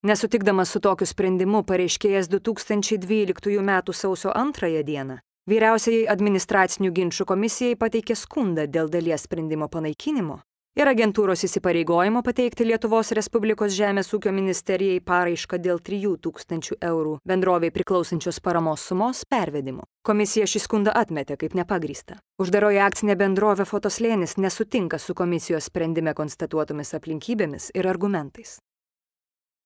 Nesutikdamas su tokiu sprendimu, pareiškėjas 2012 m. sausio 2 dieną Vyriausiajai administracinių ginčų komisijai pateikė skundą dėl dalies sprendimo panaikinimo ir agentūros įsipareigojimo pateikti Lietuvos Respublikos Žemės ūkio ministerijai paraišką dėl 3000 eurų bendrovei priklausančios paramos sumos pervedimo. Komisija šį skundą atmetė kaip nepagrįstą. Uždaroji akcinė bendrovė Fotoslėnis nesutinka su komisijos sprendime konstatuotomis aplinkybėmis ir argumentais.